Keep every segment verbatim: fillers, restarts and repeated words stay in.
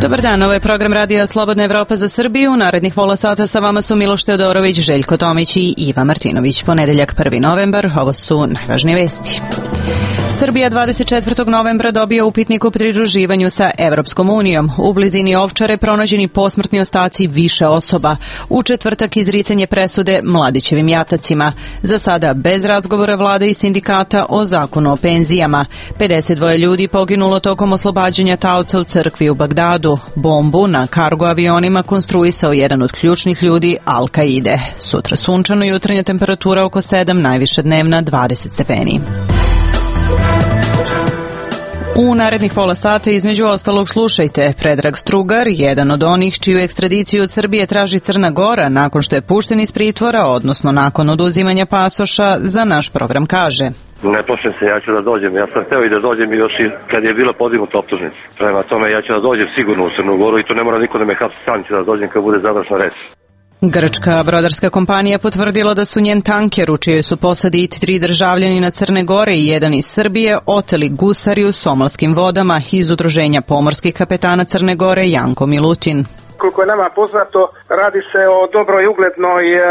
Dobar dan, ovo je program Radija Slobodna Evropa za Srbiju. Narednih pola sata sa vama su Miloš Teodorović, Željko Tomić i Iva Martinović. Ponedeljak prvi novembar, ovo su najvažnije vesti. Srbija dvadeset četvrtog novembra dobija upitnik o pridruživanju sa Evropskom unijom. U blizini Ovčare pronađeni posmrtni ostaci više osoba. U četvrtak izricanje presude Mladićevim jatacima. Za sada bez razgovora vlade i sindikata o zakonu o penzijama. pedeset dva ljudi poginulo tokom oslobađanja taoca u crkvi u Bagdadu. Bombu na kargo avionima konstruisao jedan od ključnih ljudi Al-Kaide. Sutra sunčano, jutarnja temperatura oko sedam, najviša dnevna dvadeset stepeni. U narednih pola sata između ostalog slušajte. Predrag Strugar, jedan od onih čiju ekstradiciju od Srbije traži Crna Gora nakon što je pušten iz pritvora, odnosno nakon oduzimanja pasoša, za naš program kaže: Ne plašim se, ja ću da dođem. Ja sam hteo i da dođem još i kad je bila podignuta optužnica. Prema tome ja ću da dođem sigurno u Crnu Goru i tu ne mora niko da me hapsi, sam ću da dođem kad bude završna reč. Grčka brodarska kompanija potvrdila da su njen tanker, u čijoj su posadi tri državljanina Crne Gore i jedan iz Srbije, oteli gusari u somalskim vodama iz Udruženja pomorskih kapetana Crne Gore Janko Milutin. Koliko je nama poznato, radi se o dobroj i uglednoj e,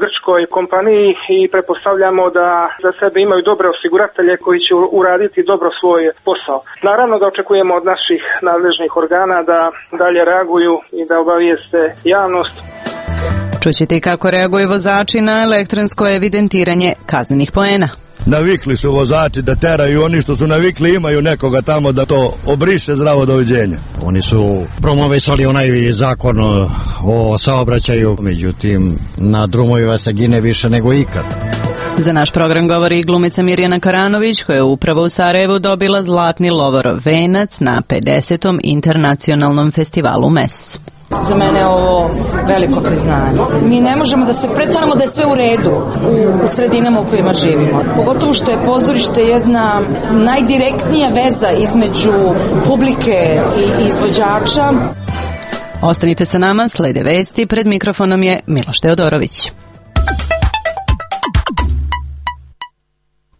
grčkoj kompaniji i pretpostavljamo da za sebe imaju dobre osiguratelje koji će uraditi dobro svoj posao. Naravno da očekujemo od naših nadležnih organa da dalje reaguju i da obavijeste javnost. Čućete i kako reaguju vozači na elektronsko evidentiranje kaznenih poena. Navikli su vozači da teraju, oni što su navikli imaju nekoga tamo da to obriše. Zdravo, doviđenja. Oni su promovisali onaj zakon o saobraćaju, međutim na drumovima se gine više nego ikad. Za naš program govori i glumica Mirjana Karanović, koja je upravo u Sarajevu dobila zlatni Lovorov venac na pedesetom internacionalnom festivalu M E S. Za mene je ovo veliko priznanje. Mi ne možemo da se predstavljamo da je sve u redu u sredinama u kojima živimo. Pogotovo što je pozorište jedna najdirektnija veza između publike i izvođača. Ostanite sa nama, slede vesti, pred mikrofonom je Miloš Teodorović.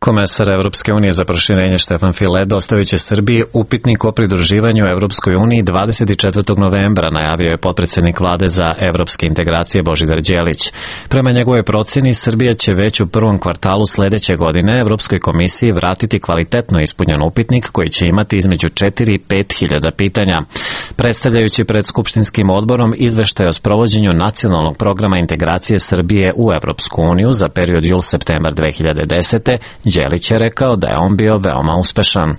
Komesar Evropske unije za proširenje Štefan File dostavit će Srbiji upitnik o pridruživanju Evropskoj uniji dvadeset četvrtog novembra, najavio je potpredsednik vlade za evropske integracije Božidar Đelić. Prema njegovoj proceni, Srbija će već u prvom kvartalu sledeće godine Evropskoj komisiji vratiti kvalitetno ispunjen upitnik koji će imati između četiri i pet hiljada pitanja. Predstavljajući pred Skupštinskim odborom izveštaj o sprovođenju nacionalnog programa integracije Srbije u Evropsku uniju za period jul-septembar dve hiljade desete. Đelić je rekao da je on bio veoma uspešan.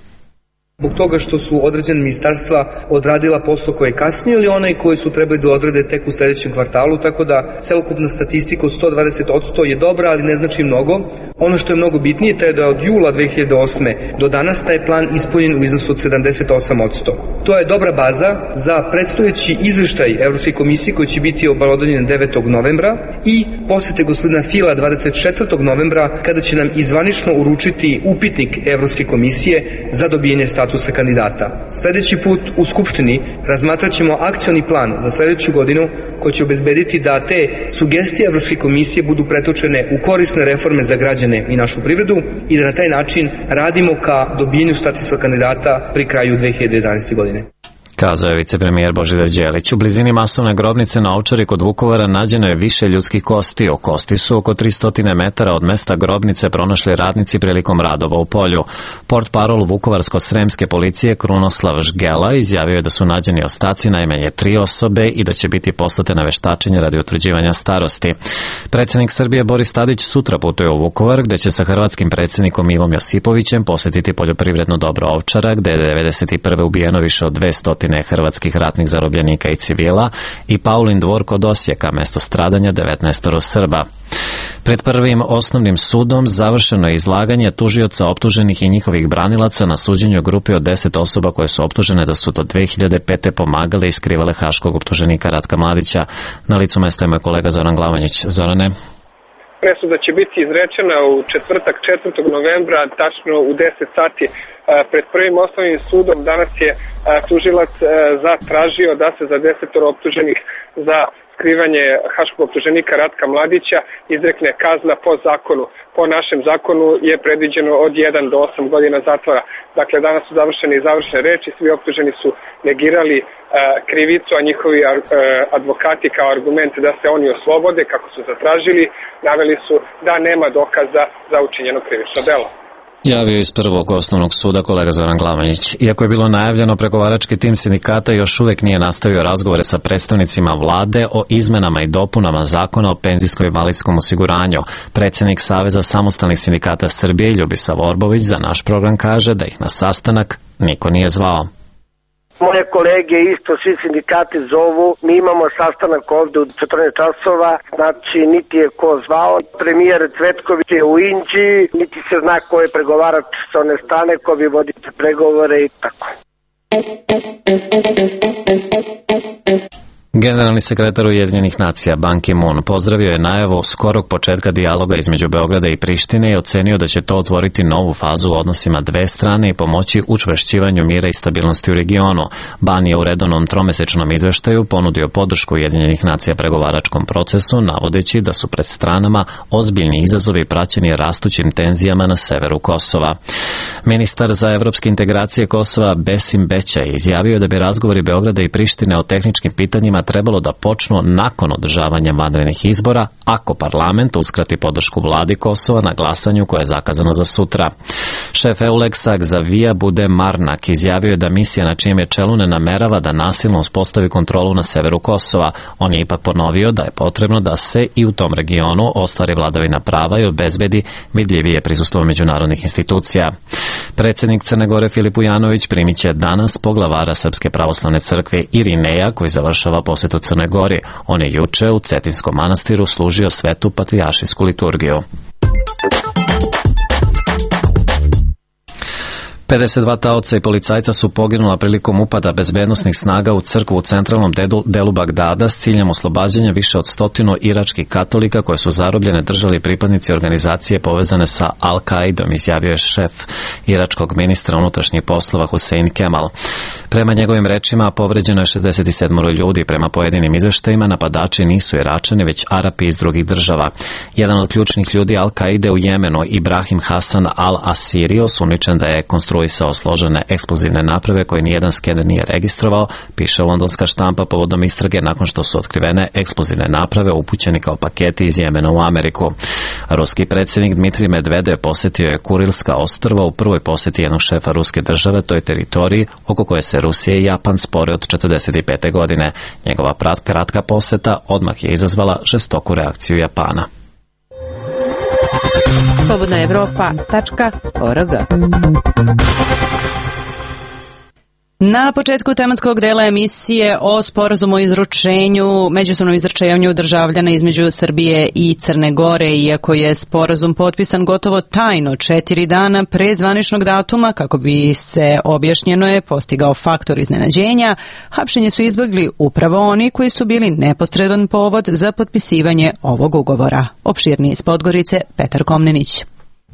Zbog toga što su određene ministarstva odradila posao koji je kasnije ili onaj koji su trebali da odrade tek u sledećem kvartalu, tako da celokupna statistika od sto dvadeset posto je dobra, ali ne znači mnogo. Ono što je mnogo bitnije je da je od jula dve hiljade osme do danas taj plan ispunjen u iznosu od sedamdeset osam posto. To je dobra baza za predstojeći izveštaj Evropske komisije koji će biti obelodanjen devetog novembra i posete gospodina Fila dvadeset četvrtog novembra kada će nam izvanično uručiti upitnik Evropske komisije za dobijanje statusa kandidata. Sledeći put u Skupštini razmatrat ćemo akcioni plan za sledeću godinu koji će obezbediti da te sugestije Evropske komisije budu pretočene u korisne reforme za građane i našu privredu i da na taj način radimo ka dobijenju statusa kandidata pri kraju dve hiljade jedanaeste. godine. Kazao je vicepremijer Božidar Đelić. U blizini masovne grobnice na Ovčari kod Vukovara nađeno je više ljudskih kosti. O kosti su oko tristo metara od mesta grobnice pronašli radnici prilikom radova u polju. Portparol Vukovarsko-sremske policije Krunoslav Žgela izjavio je da su nađeni ostaci najmanje tri osobe i da će biti poslate na veštačenje radi utvrđivanja starosti. Predsjednik Srbije Boris Tadić sutra putuje u Vukovar, gde će sa hrvatskim predsjednikom Ivom Josipovićem posetiti poljoprivredno dobro Ovčara, gde je devedeset prve ubijeno više od dvesta hrvatskih ratnih zarobljenika i civila, i Paulin dvor kod Osijeka, mesto stradanja devetnaestoro Srba. Pred prvim osnovnim sudom završeno je izlaganje tužioca optuženih i njihovih branilaca na suđenju grupi od deset osoba koje su optužene da su do dve hiljade pete pomagale i skrivale haškog optuženika Ratka Mladića. Na licu mesta je moj kolega Zoran Glavanjić. Zorane? Presuda će biti izrečena u četvrtak četvrtog novembra, tačno u deset sati pred prvim osnovnim sudom. Danas je tužilac zatražio da se za desetoro optuženih za skrivanje haškog optuženika Ratka Mladića izrekne kazna po zakonu. Po našem zakonu je predviđeno od jedan do osam godina zatvora. Dakle, danas su završene i završene reči, svi optuženi su negirali e, krivicu, a njihovi e, advokati kao argument da se oni oslobode, kako su zatražili, naveli su da nema dokaza za učinjeno krivično delo. Javio iz prvog osnovnog suda kolega Zoran Glavanjić. Iako je bilo najavljeno, pregovarački tim sindikata još uvek nije nastavio razgovore sa predstavnicima vlade o izmenama i dopunama zakona o penzijsko-invalidskom osiguranju. Predsjednik Saveza samostalnih sindikata Srbije Ljubisav Orbović za naš program kaže da ih na sastanak niko nije zvao. Moje kolege isto, svi sindikati zovu, mi imamo sastanak ovde u četrnaest časova, znači niti je ko zvao, premijer Cvetković je u Inđiji, niti se zna ko je pregovarač sa one strane, ko bi vodite pregovore i tako. Generalni sekretar Ujedinjenih nacija Ban Ki-moon pozdravio je najavu skorog početka dijaloga između Beograda i Prištine i ocenio da će to otvoriti novu fazu u odnosima dve strane i pomoći učvršćivanju mira i stabilnosti u regionu. Ban je u redovnom tromesečnom izveštaju ponudio podršku Ujedinjenih nacija pregovaračkom procesu, navodeći da su pred stranama ozbiljni izazovi praćeni rastućim tenzijama na severu Kosova. Ministar za evropske integracije Kosova Besim Bećaj izjavio da bi razgovori Beograda i Prištine o tehničkim pitanjima trebalo da počnu nakon održavanja vanrednih izbora, ako parlament uskrati podršku vladi Kosova na glasanju koje je zakazano za sutra. Šef Euleksa Xavier Bude Marnak izjavio je da misija na čijem je čelu ne namerava da nasilno uspostavi kontrolu na severu Kosova. On je ipak ponovio da je potrebno da se i u tom regionu ostvari vladavina prava i obezbedi vidljivije prisustvo međunarodnih institucija. Predsjednik Crne Gore Filip Ujanović primit će danas poglavara Srpske pravoslavne crkve Irineja, koji završava posjetu Crnoj Gori. On je juče u Cetinskom manastiru služio svetu patrijaršijsku liturgiju. pedeset dva taoca i policajca su poginula prilikom upada bezbednosnih snaga u crkvu u centralnom delu Bagdada s ciljem oslobađanja više od stotinu iračkih katolika koje su zarobljene držali pripadnici organizacije povezane sa Al-Qaidom, izjavio je šef iračkog ministra unutrašnjih poslova Husein Kemal. Prema njegovim rečima povređeno je šezdeset sedam ljudi. Prema pojedinim izveštajima napadači nisu Iračani, već Arapi iz drugih država. Jedan od ključnih ljudi Al-Qaide u Jemenu, Ibrahim Hasan al-Asiri, osumnjičen da je konstruisao složene eksplozivne naprave koje nijedan skener nije registrovao, piše londonska štampa povodom istrage nakon što su otkrivene eksplozivne naprave upućeni kao paketi iz Jemena u Ameriku. Ruski predsjednik Dmitrij Medvedev posjetio je Kurilska ostrva u prvoj posjeti jednog šefa ruske države toj teritoriji oko koje se Rusija i Japan spore od četrdeset pete godine. Njegova kratka posjeta odmah je izazvala žestoku reakciju Japana. slobodna evropa tačka org. Na početku tematskog dela emisije o sporazumu o izručenju, međusobnom izručenju državljana između Srbije i Crne Gore, iako je sporazum potpisan gotovo tajno četiri dana pre zvaničnog datuma, kako bi se, objašnjeno je, postigao faktor iznenađenja, hapšenje su izbjegli upravo oni koji su bili neposredan povod za potpisivanje ovog ugovora. Opširniji iz Podgorice, Petar Komnenić.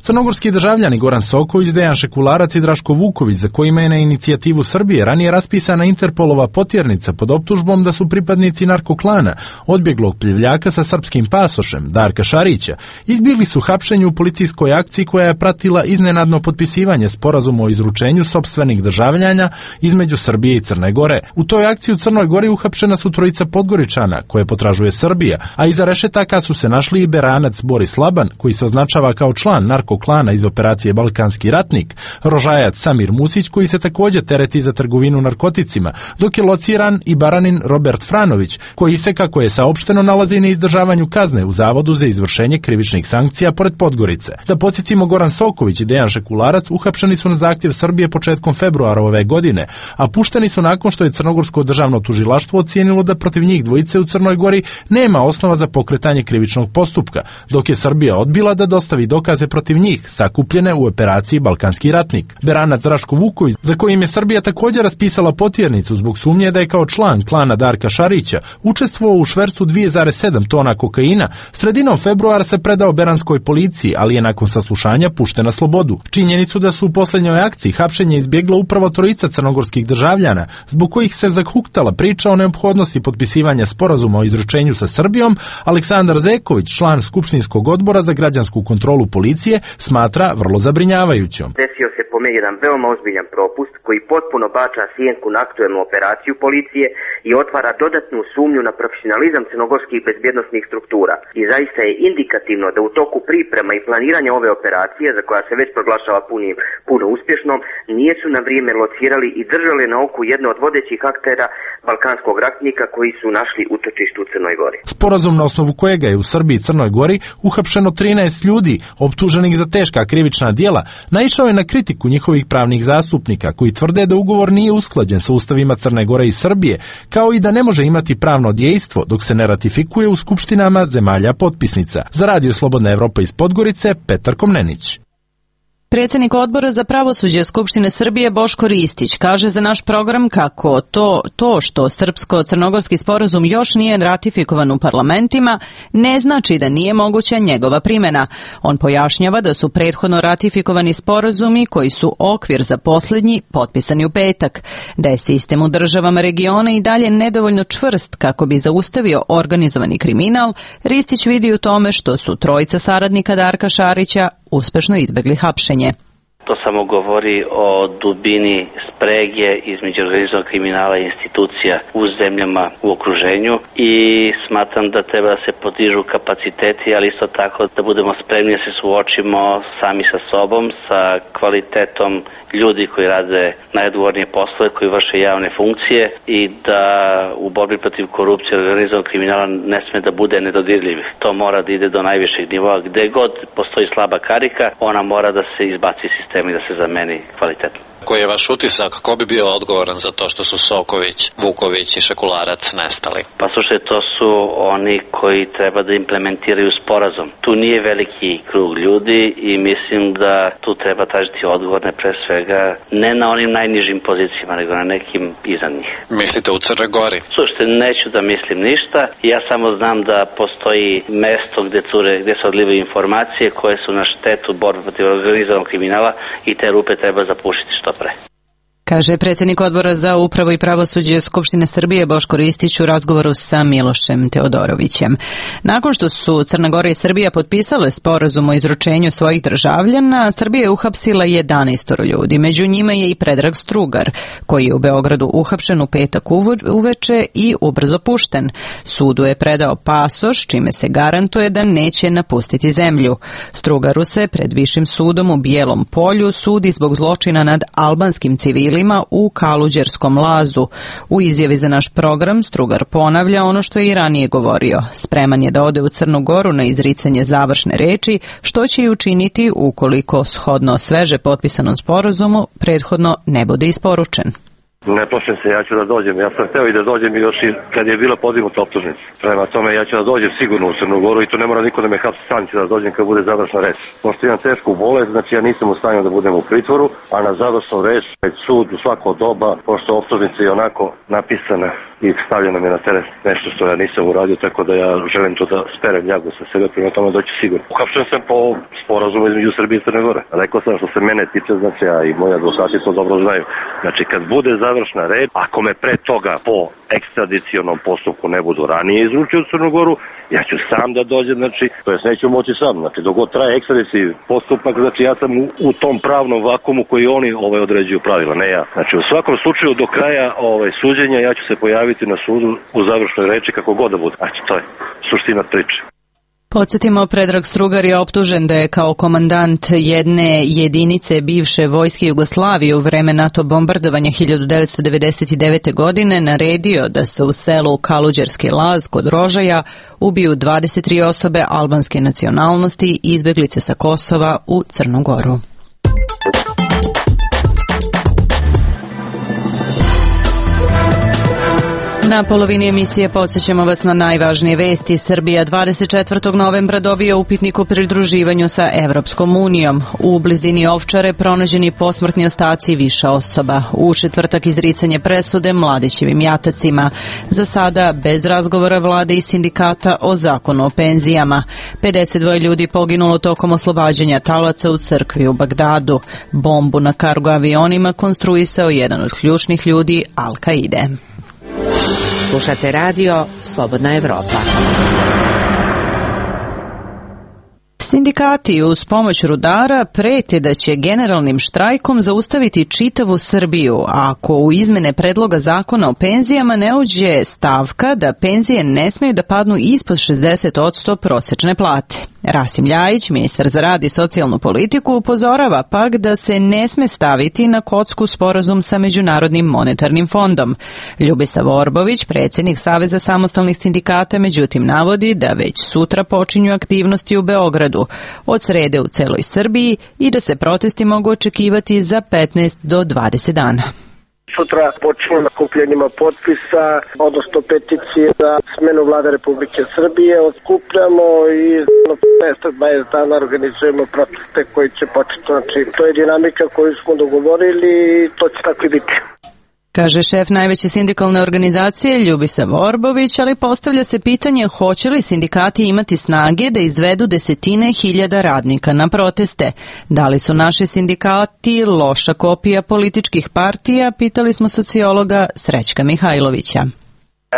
Crnogorski državljani Goran Soković, Dejan Šekularac i Draško Vuković, za kojima je na inicijativu Srbije ranije raspisana Interpolova potjernica pod optužbom da su pripadnici narkoklana odbjeglog plivljaka sa srpskim pasošem, Darka Šarića, izbjegli su hapšenju u policijskoj akciji koja je pratila iznenadno potpisivanje sporazuma o izručenju sopstvenih državljana između Srbije i Crne Gore. U toj akciji u Crnoj Gori uhapšena su trojica Podgoričana, koje potražuje Srbija, a iza rešetaka su se našli i Beranac Boris Laban, koji se označava kao član narkoklana klana iz operacije Balkanski ratnik, Rožajac Samir Musić, koji se također tereti za trgovinu narkoticima, dok je lociran i Baranin Robert Franović, koji se, kako je saopšteno, nalazi na izdržavanju kazne u Zavodu za izvršenje krivičnih sankcija pored Podgorice. Da podsjetimo, Goran Soković i Dejan Šekularac uhapšeni su na zahtjev Srbije početkom februara ove godine, a pušteni su nakon što je Crnogorsko državno tužilaštvo ocijenilo da protiv njih dvojice u Crnoj Gori nema osnova za pokretanje krivičnog postupka, dok je Srbija odbila da dostavi dokaze protiv njih, sakupljene u operaciji Balkanski ratnik. Beranac Draško Vuković, za kojim je Srbija također raspisala potjernicu zbog sumnje da je kao član klana Darka Šarića učestvovao u švercu dvije zarez sedam tona kokaina, sredinom februara se predao beranskoj policiji, ali je nakon saslušanja pušten na slobodu. Činjenicu da su u posljednjoj akciji hapšenje izbjegla upravo trojica crnogorskih državljana, zbog kojih se zahuktala priča o neophodnosti potpisivanja sporazuma o izručenju sa Srbijom, Aleksandar Zeković, član Skupštinskog odbora za građansku kontrolu policije, smatra vrlo zabrinjavajućom. Desio se po meni jedan veoma ozbiljan propust koji potpuno bača sjenku na aktuelnu operaciju policije i otvara dodatnu sumnju na profesionalizam crnogorskih bezbjednosnih struktura. I zaista je indikativno da u toku priprema i planiranja ove operacije, za koja se već proglašava punim, puno uspješnom, nisu na vrijeme locirali i držali na oku jedno od vodećih aktera Balkanskog ratnika koji su našli utočište u Crnoj Gori. Sporazum na osnovu kojega je u Srbiji i Crnoj Gori uhapšeno trinaest ljudi optuženih za teška krivična djela, naišao je na kritiku njihovih pravnih zastupnika koji tvrde da ugovor nije usklađen sa ustavima Crne Gore i Srbije, kao i da ne može imati pravno dejstvo dok se ne ratifikuje u skupštinama zemalja potpisnica. Za Radio Slobodna Evropa iz Podgorice, Petar Komnenić. Predsjednik odbora za pravosuđe Skupštine Srbije Boško Ristić kaže za naš program kako to, to što srpsko-crnogorski sporazum još nije ratifikovan u parlamentima ne znači da nije moguća njegova primjena. On pojašnjava da su prethodno ratifikovani sporazumi koji su okvir za posljednji potpisani u petak, da je sistem u državama regiona i dalje nedovoljno čvrst kako bi zaustavio organizovani kriminal. Ristić vidi u tome što su trojica saradnika Darka Šarića uspešno izbegli hapšenje. To samo govori o dubini sprege između organizovanog kriminala i institucija u zemljama u okruženju i smatram da treba da se podižu kapaciteti, ali isto tako da budemo spremni da se suočimo sami sa sobom, sa kvalitetom ljudi koji rade najodgovornije poslove, koji vrše javne funkcije i da u borbi protiv korupcije i organizovanog kriminala ne sme da bude nedodirljivih. To mora da ide do najvišeg nivoa. Gde god postoji slaba karika, ona mora da se izbaci iz sistema i da se zameni kvalitetno. Koji je vaš utisak? Ko bi bio odgovoran za to što su Soković, Vuković i Šekularac nestali? Pa slušaj, to su oni koji treba da implementiraju sporazum. Tu nije veliki krug ljudi i mislim da tu treba tražiti odgovorne pre svega ne na onim najnižim pozicijama, nego na nekim iza njih. Mislite u Crnoj Gori? Slušajte, neću da mislim ništa. Ja samo znam da postoji mesto gde, cure, gde se odlivaju informacije koje su na štetu borbe protiv organizovanog kriminala i te rupe treba zapušiti što pre. Kaže predsjednik odbora za upravu i pravosuđe Skupštine Srbije Boško Ristić u razgovoru sa Milošem Teodorovićem. Nakon što su Crna Gora i Srbija potpisale sporazum o izručenju svojih državljana, Srbija je uhapsila jedanaest ljudi. Među njima je i Predrag Strugar, koji je u Beogradu uhapšen u petak uveče i ubrzo pušten. Sudu je predao pasoš, čime se garantuje da neće napustiti zemlju. Strugaru se pred Višim sudom u Bijelom Polju sudi zbog zločina nad albanskim civilima u Kaluđerskom lazu. U izjavi za naš program Strugar ponavlja ono što je i ranije govorio. Spreman je da ode u Crnu Goru na izricanje završne reči, što će i učiniti ukoliko shodno sveže potpisanom sporazumu prethodno ne bude isporučen. Ne plašim se, ja ću da dođem. Ja sam hteo i da dođem još i kad je bila podignuta optužnica. Prema tome ja ću da dođem sigurno u Crnu Goru i to ne mora niko da me hapsi, sam ću da dođem kad bude završna reč. Pošto imam tešku bolest, znači ja nisam u stanju da budem u pritvoru, a na završnu reč pred sud u svako doba, pošto optužnica je onako napisana i stavljena mi na teret nešto što ja nisam uradio, tako da ja želim to da sperem ljagu sa sebe, prema tome doći sigurno. Uhapšen sam po sporazumu između Srbije i Crne Gore. Rekao sam što se mene tiče, znači ja i moji advokati to dobro znaju. Znači kad bude završna reč, ako me pre toga po ekstradicionom postupku ne budu ranije izručio u Crnu Goru, ja ću sam da dođem, znači, to jest neću moći sam, znači dok god traje ekstradicijski postupak, znači ja sam u, u tom pravnom vakumu koji oni ovaj određuju pravila, ne ja. Znači u svakom slučaju do kraja ovaj suđenja ja ću se pojaviti na sudu u završnoj reči kako god da bude. Znači to je suština priče. Podsjetimo, Predrag Strugar je optužen da je kao komandant jedne jedinice bivše vojske Jugoslavije u vreme NATO bombardovanja hiljadu devetsto devedeset devete. godine naredio da se u selu Kaluđerski laz kod Rožaja ubiju dvadeset tri osobe albanske nacionalnosti i izbeglice sa Kosova u Crnu Goru. Na polovini emisije podsjećamo vas na najvažnije vesti. Srbija dvadeset četvrtog novembra dobija upitnik o pridruživanju sa Evropskom unijom. U blizini Ovčare pronađeni posmrtni ostaci više osoba. U četvrtak izricanje presude Mladićevim jatacima. Za sada bez razgovora vlade i sindikata o zakonu o penzijama. pedeset dva ljudi poginulo tokom oslobađanja talaca u crkvi u Bagdadu. Bombu na kargo avionima konstruisao jedan od ključnih ljudi Al-Kaide. Slušate radio Slobodna Evropa. Sindikati uz pomoć rudara prete da će generalnim štrajkom zaustaviti čitavu Srbiju ako u izmene predloga zakona o penzijama ne uđe stavka da penzije ne smeju da padnu ispod šezdeset posto prosečne plate. Rasim Ljajić, ministar za rad i socijalnu politiku, upozorava pak da se ne sme staviti na kocku sporazum sa Međunarodnim monetarnim fondom. Ljubisav Orbović, predsjednik Saveza samostalnih sindikata, međutim navodi da već sutra počinju aktivnosti u Beogradu, od srede u celoj Srbiji i da se protesti mogu očekivati za petnaest do dvadeset dana. Sutra počinju nakupljenjima potpisa, odnosno peticije za smenu vlade Republike Srbije. Otkupljamo i za petnaest do dvadeset dana organizujemo proteste koji će početi. Znači, to je dinamika koju smo dogovorili i to će tako i biti. Kaže šef najveće sindikalne organizacije Ljubisav Orbović, ali postavlja se pitanje hoće li sindikati imati snage da izvedu desetine hiljada radnika na proteste. Da li su naši sindikati loša kopija političkih partija, pitali smo sociologa Srećka Mihajlovića.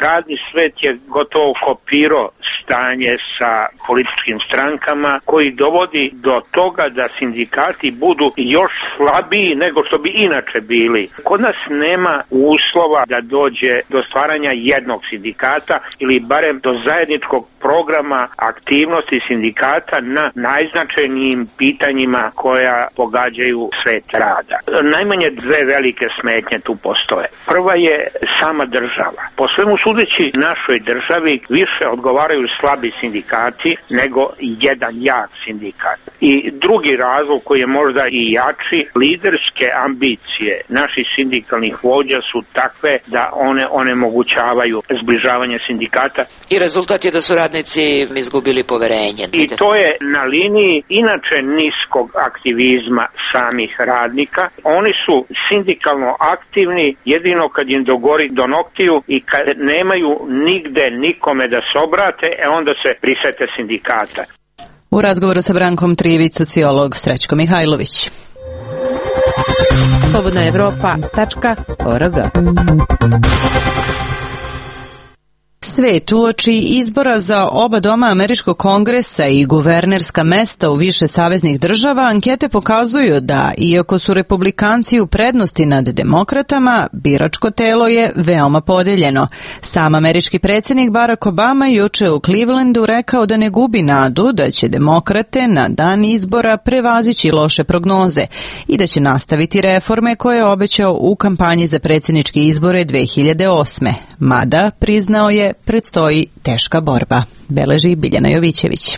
Radni svet je gotovo kopirao stanje sa političkim strankama koji dovodi do toga da sindikati budu još slabiji nego što bi inače bili. Kod nas nema uslova da dođe do stvaranja jednog sindikata ili barem do zajedničkog programa aktivnosti sindikata na najznačajnijim pitanjima koja pogađaju svet rada. Najmanje dve velike smetnje tu postoje. Prva je sama država. Po svemu sudeći našoj državi više odgovaraju slabi sindikati nego jedan jak sindikat. I drugi razlog koji je možda i jači, liderske ambicije naših sindikalnih vođa su takve da one onemogućavaju zbližavanje sindikata. I rezultat je da su radnici izgubili poverenje. I to je na liniji inače niskog aktivizma samih radnika. Oni su sindikalno aktivni jedino kad im dogori do noktiju i kad nemaju nigde nikome da se obrate, e onda se prisete sindikata. U razgovoru sa Brankom Trivić, sociolog Srećko Mihajlović. Slobodna Evropa tačka org. Svet uoči izbora za oba doma Američkog kongresa i guvernerska mesta u više saveznih država, ankete pokazuju da, iako su republikanci u prednosti nad demokratama, biračko telo je veoma podeljeno. Sam američki predsjednik Barack Obama juče u Clevelandu rekao da ne gubi nadu da će demokrate na dan izbora prevazići loše prognoze i da će nastaviti reforme koje je obećao u kampanji za predsjedničke izbore dve hiljade osme. Mada, priznao je, predstoji teška borba, beleži Biljana Jovićević.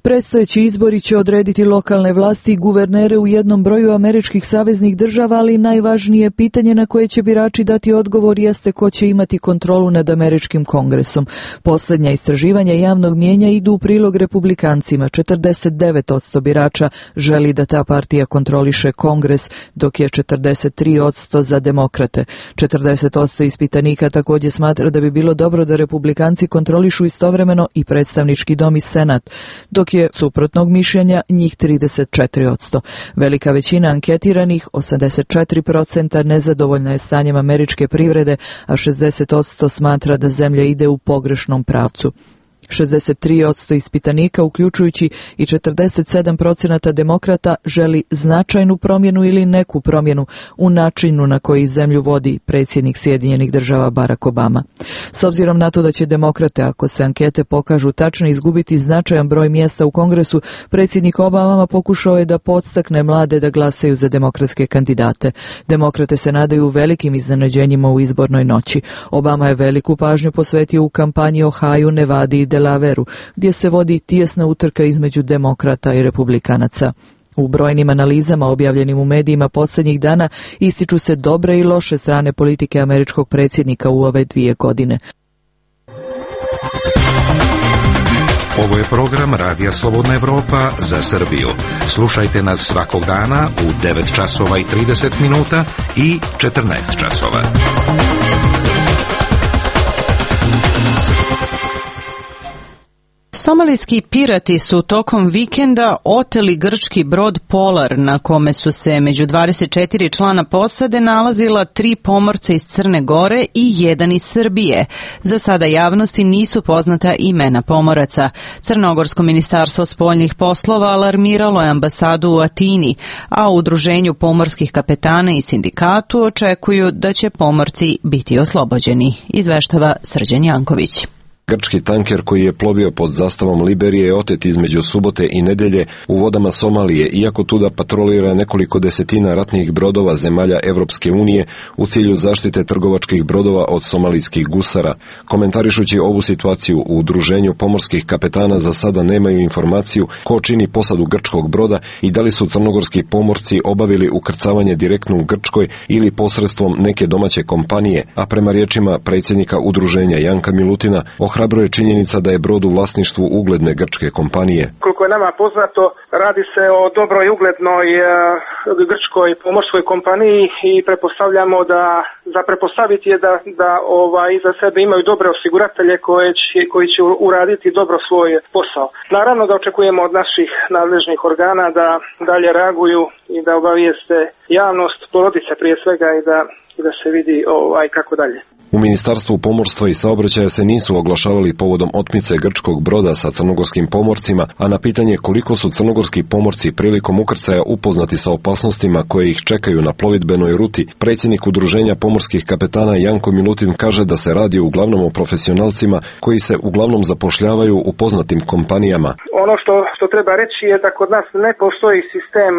Predstojeći izbori će odrediti lokalne vlasti i guvernere u jednom broju američkih saveznih država, ali najvažnije pitanje na koje će birači dati odgovor jeste ko će imati kontrolu nad američkim kongresom. Posljednja istraživanja javnog mijenja idu u prilog republikancima. četrdeset devet posto birača želi da ta partija kontroliše kongres, dok je četrdeset tri posto za demokrate. četrdeset posto ispitanika također smatra da bi bilo dobro da republikanci kontrolišu istovremeno i predstavnički dom i senat, dok je suprotnog mišljenja njih trideset četiri posto. Velika većina anketiranih, osamdeset četiri posto, nezadovoljna je stanjem američke privrede, a šezdeset posto smatra da zemlja ide u pogrešnom pravcu. šezdeset tri posto ispitanika, uključujući i četrdeset sedam posto demokrata, želi značajnu promjenu ili neku promjenu u načinu na koji zemlju vodi predsjednik Sjedinjenih država Barack Obama. S obzirom na to da će demokrate, ako se ankete pokažu tačno, izgubiti značajan broj mjesta u Kongresu, predsjednik Obama pokušao je da podstakne mlade da glasaju za demokratske kandidate. Demokrate se nadaju velikim iznenađenjima u izbornoj noći. Obama je veliku pažnju posvetio u kampanji Ohio, Nevadi i Delaveru, gdje se vodi tijesna utrka između demokrata i republikanaca. U brojnim analizama objavljenim u medijima posljednjih dana ističu se dobre i loše strane politike američkog predsjednika u ove dvije godine. Ovo je program Radija Slobodna Evropa za Srbiju. Slušajte nas svakog dana u devet časova i trideset minuta i četrnaest časova. Somalijski pirati su tokom vikenda oteli grčki brod Polar, na kome su se među dvadeset četiri člana posade nalazila tri pomorca iz Crne Gore i jedan iz Srbije. Za sada javnosti nisu poznata imena pomoraca. Crnogorsko ministarstvo spoljnih poslova alarmiralo je ambasadu u Atini, a u udruženju pomorskih kapetana i sindikatu očekuju da će pomorci biti oslobođeni, izveštava Srđan Janković. Grčki tanker koji je plovio pod zastavom Liberije je otet između subote i nedelje u vodama Somalije, iako tuda patrolira nekoliko desetina ratnih brodova zemalja Evropske unije u cilju zaštite trgovačkih brodova od somalijskih gusara. Komentarišući ovu situaciju u udruženju pomorskih kapetana za sada nemaju informaciju ko čini posadu grčkog broda i da li su crnogorski pomorci obavili ukrcavanje direktno u Grčkoj ili posredstvom neke domaće kompanije, a prema riječima predsjednika udruženja Janka Milutina, ohrabruje činjenica da je brod u vlasništvu ugledne grčke kompanije. Koliko je nama poznato, radi se o dobroj i uglednoj uh, grčkoj pomorskoj kompaniji i pretpostavljamo da, za pretpostaviti je da, da ovaj, iza sebe imaju dobre osiguratelje koje će, koji će uraditi dobro svoj posao. Naravno da očekujemo od naših nadležnih organa da dalje reaguju i da obavijeste javnost, porodice prije svega i da, i da se vidi ovaj, kako dalje. U Ministarstvu pomorstva i saobraćaja se nisu oglašavali povodom otmice grčkog broda sa crnogorskim pomorcima, a na pitanje koliko su crnogorski pomorci prilikom ukrcaja upoznati sa opasnostima koje ih čekaju na plovidbenoj ruti, predsjednik udruženja pomorskih kapetana Janko Milutin kaže da se radi uglavnom o profesionalcima koji se uglavnom zapošljavaju u poznatim kompanijama. Ono što, što treba reći je da kod nas ne postoji sistem,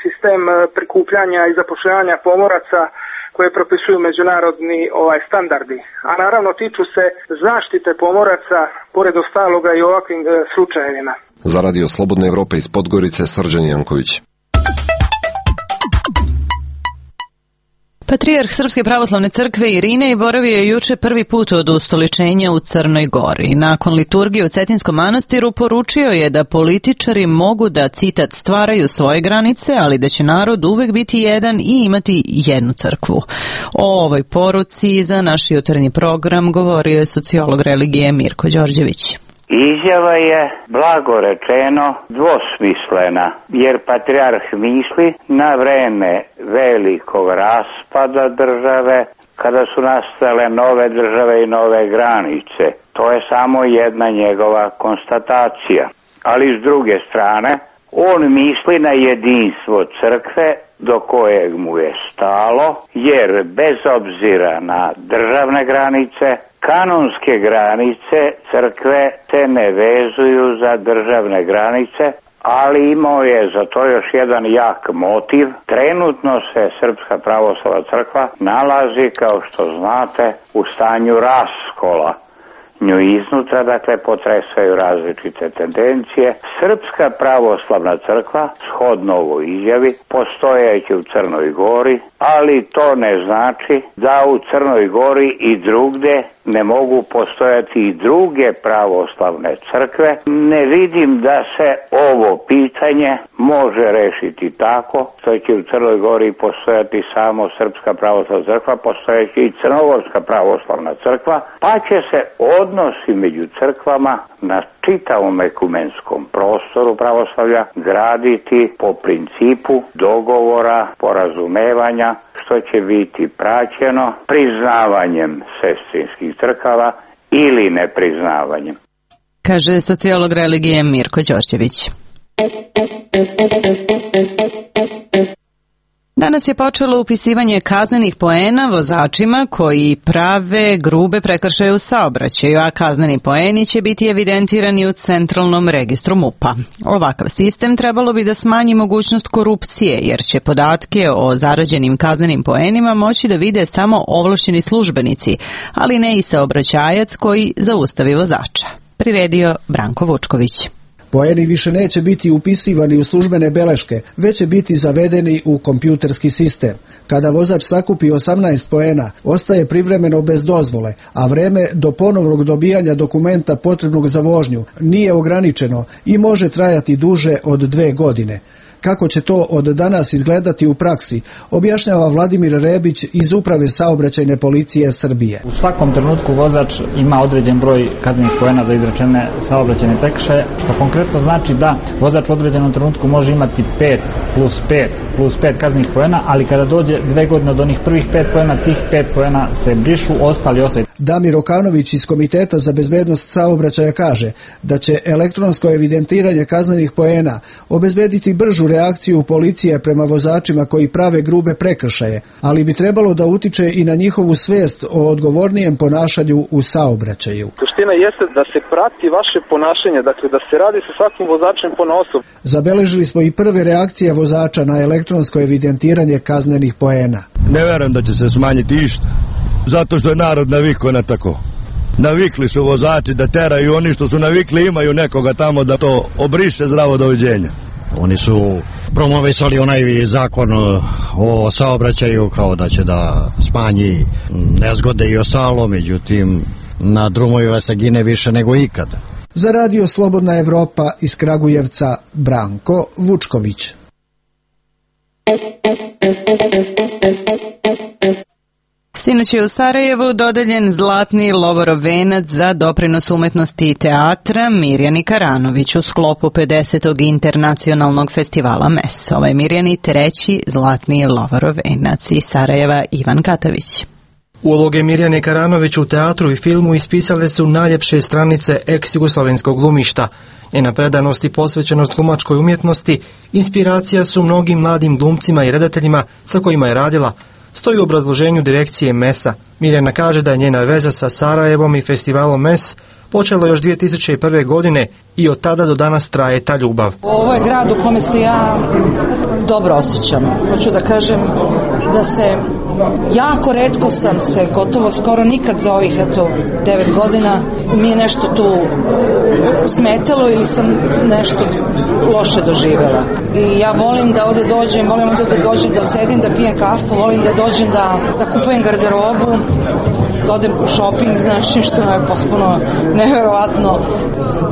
sistem prikupljanja i zapošljavanja pomoraca koje propisuju međunarodni ovaj standardi, a naravno tiču se zaštite pomoraca pored ostaloga i ovakvim e, slučajevima. Za Radio Slobodne Evrope iz Podgorice, Srđan Janković. Patrijarh Srpske pravoslavne crkve Irinej boravio je juče prvi put od ustoličenja u Crnoj Gori. Nakon liturgije u Cetinskom manastiru poručio je da političari mogu da, citat, stvaraju svoje granice, ali da će narod uvek biti jedan i imati jednu crkvu. O ovoj poruci za naš jutarnji program govorio je sociolog religije Mirko Đorđević. Izjava je, blago rečeno, dvosmislena, jer patrijarh misli na vreme velikog raspada države, kada su nastale nove države i nove granice. To je samo jedna njegova konstatacija. Ali s druge strane, on misli na jedinstvo crkve do kojeg mu je stalo, jer bez obzira na državne granice, kanonske granice crkve se ne vezuju za državne granice, ali imao je za to još jedan jak motiv. Trenutno se Srpska pravoslavna crkva nalazi, kao što znate, u stanju raskola. Nju iznutra, dakle, potresaju različite tendencije. Srpska pravoslavna crkva, shodno ovoj izjavi, postojeći u Crnoj Gori, ali to ne znači da u Crnoj Gori i drugde ne mogu postojati i druge pravoslavne crkve. Ne vidim da se ovo pitanje može rešiti tako što će u Crnoj Gori postojati samo Srpska pravoslavna crkva, postojeći i Crnogorska pravoslavna crkva, pa će se odnosi među crkvama na čitavom ekumenskom prostoru pravoslavlja graditi po principu dogovora, porazumevanja, što će biti praćeno priznavanjem sestrinskih crkava ili nepriznavanjem. Kaže sociolog religije Mirko Đorđević. Danas je počelo upisivanje kaznenih poena vozačima koji prave grube prekršaje u saobraćaju, a kazneni poeni će biti evidentirani u centralnom registru MUP-a. Ovakav sistem trebalo bi da smanji mogućnost korupcije, jer će podatke o zarađenim kaznenim poenima moći da vide samo ovlašćeni službenici, ali ne i saobraćajac koji zaustavi vozača. Priredio Branko Vučković. Poeni više neće biti upisivani u službene beleške, već će biti zavedeni u kompjuterski sistem. Kada vozač sakupi osamnaest poena, ostaje privremeno bez dozvole, a vreme do ponovnog dobijanja dokumenta potrebnog za vožnju nije ograničeno i može trajati duže od dve godine. Kako će to od danas izgledati u praksi, objašnjava Vladimir Rebić iz Uprave saobraćajne policije Srbije. U svakom trenutku vozač ima određen broj kaznenih poena za izrečene saobraćajne prekršaje, što konkretno znači da vozač u određenom trenutku može imati pet plus pet plus pet kaznenih poena, ali kada dođe dve godine od onih prvih pet poena, tih pet poena se brišu, ostali ostaju. Damir Okanović iz Komiteta za bezbednost saobraćaja kaže da će elektronsko evidentiranje kaznenih poena obezbediti bržu reakciju policije prema vozačima koji prave grube prekršaje, ali bi trebalo da utiče i na njihovu svest o odgovornijem ponašanju u saobraćaju. Suština jeste da se prati vaše ponašanje, dakle da se radi sa svakim vozačem ponaosob. Zabeležili smo i prve reakcije vozača na elektronsko evidentiranje kaznenih poena. Ne verujem da će se smanjiti išta, zato što je narod navikao na tako. Navikli su vozači da teraju, oni što su navikli imaju nekoga tamo da to obriše, zdravo doviđenja. Oni su promovisali onaj zakon o saobraćaju kao da će da smanji nezgode i ostalo, međutim na drumovima se gine više nego ikada. Za radio Slobodna Evropa iz Kragujevca Branko Vučković. Sinoć je u Sarajevu dodeljen Zlatni Lovorov venac za doprinos umetnosti i teatra Mirjani Karanović u sklopu pedesetog internacionalnog festivala M E S. Ovaj Mirjani treći Zlatni Lovorov venac. Iz Sarajeva Ivan Katavić. Uloge Mirjane Karanović u teatru i filmu ispisale su najljepše stranice ex-jugoslovenskog glumišta. Njena predanost i posvećenost glumačkoj umjetnosti inspiracija su mnogim mladim glumcima i redateljima sa kojima je radila, stoji u obrazloženju direkcije M E S-a. Mirjana kaže da je njena veza sa Sarajevom i festivalom M E S počela još dvije tisuće prve. godine i od tada do danas traje ta ljubav. Ovo je grad u kome se ja dobro osjećam. Hoću da kažem da se jako retko sam se, gotovo skoro nikad za ovih eto devet godina mi je nešto tu smetalo ili sam nešto loše doživjela. I ja volim da ovde dođem, volim ovde da dođem da sedim, da pijem kafu, volim da dođem da, da kupujem garderobu, da odem u shopping, znači što je potpuno neverovatno.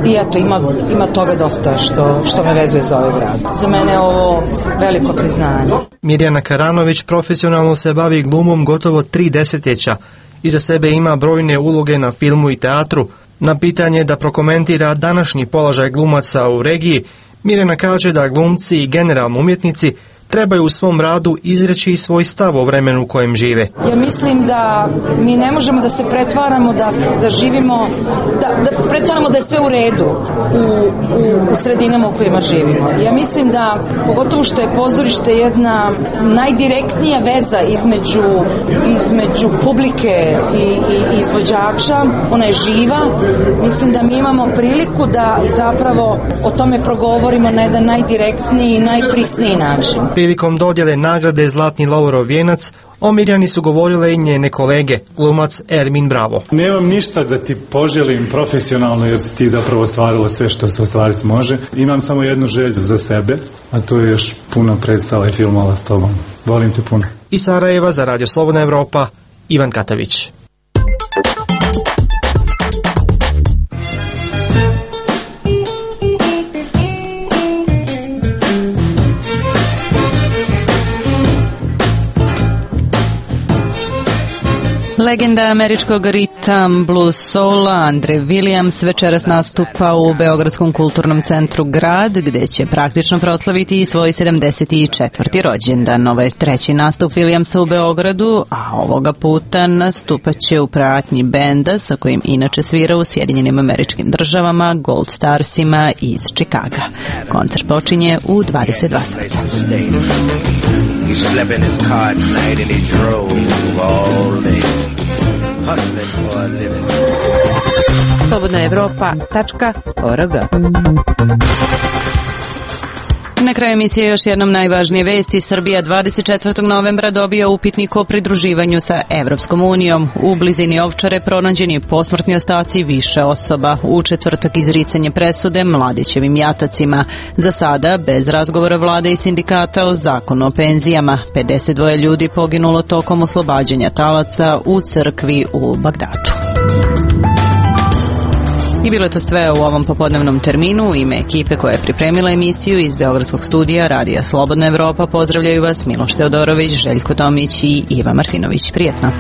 I eto, ima, ima toga dosta što, što me vezuje za ovaj grad. Za mene je ovo veliko priznanje. Mirjana Karanović profesionalno se bavi glumom gotovo tri desetljeća. Iza sebe ima brojne uloge na filmu i teatru. Na pitanje da prokomentira današnji položaj glumaca u regiji, Mirjana kaže da glumci i generalno umjetnici trebaju u svom radu izreći svoj stav o vremenu u kojem žive. Ja mislim da mi ne možemo da se pretvaramo da, da živimo, da, da pretvaramo da je sve u redu u, u, u sredinama u kojima živimo. Ja mislim da, pogotovo što je pozorište jedna najdirektnija veza između, između publike i, i izvođača, ona je živa, mislim da mi imamo priliku da zapravo o tome progovorimo na jedan najdirektniji i najprisniji način. Prilikom dodjele nagrade Zlatni Lovorov vijenac, o Mirjani su govorile i njene kolege, glumac Ermin Bravo. Nemam ništa da ti poželim profesionalno jer si ti zapravo ostvarila sve što se ostvariti može. Imam samo jednu želju za sebe, a to je još puno predstava i filmova s tobom. Volim te puno. Iz Sarajeva za Radio Slobodna Evropa, Ivan Katavić. Legenda američkog ritam blues soula Andre Williams večeras nastupa u Beogradskom kulturnom centru Grad, gde će praktično proslaviti i svoj sedamdeset četvrti rođendan. Ovo je treći nastup Williamsa u Beogradu, a ovoga puta nastupaće u pratnji benda sa kojim inače svira u Sjedinjenim Američkim Državama, Gold Starsima iz Čikaga. Koncert počinje u dvadeset dva sata. He slept in his car at night and he drove all day. Hustling for a living. slobodna evropa tačka org. Na kraju emisije još jednom najvažnije vesti. Srbija dvadeset četvrtog novembra dobija upitnik o pridruživanju sa Evropskom unijom. U blizini Ovčare pronađeni posmrtni ostaci više osoba. U četvrtak izricanje presude Mladićevim jatacima. Za sada, bez razgovora vlade i sindikata o zakonu o penzijama. pedeset dva ljudi poginulo tokom oslobađanja talaca u crkvi u Bagdadu. I bilo je to sve u ovom popodnevnom terminu. U ime ekipe koja je pripremila emisiju iz Beogradskog studija Radija Slobodna Evropa pozdravljaju vas Miloš Teodorović, Željko Tomić i Iva Martinović. Prijetno!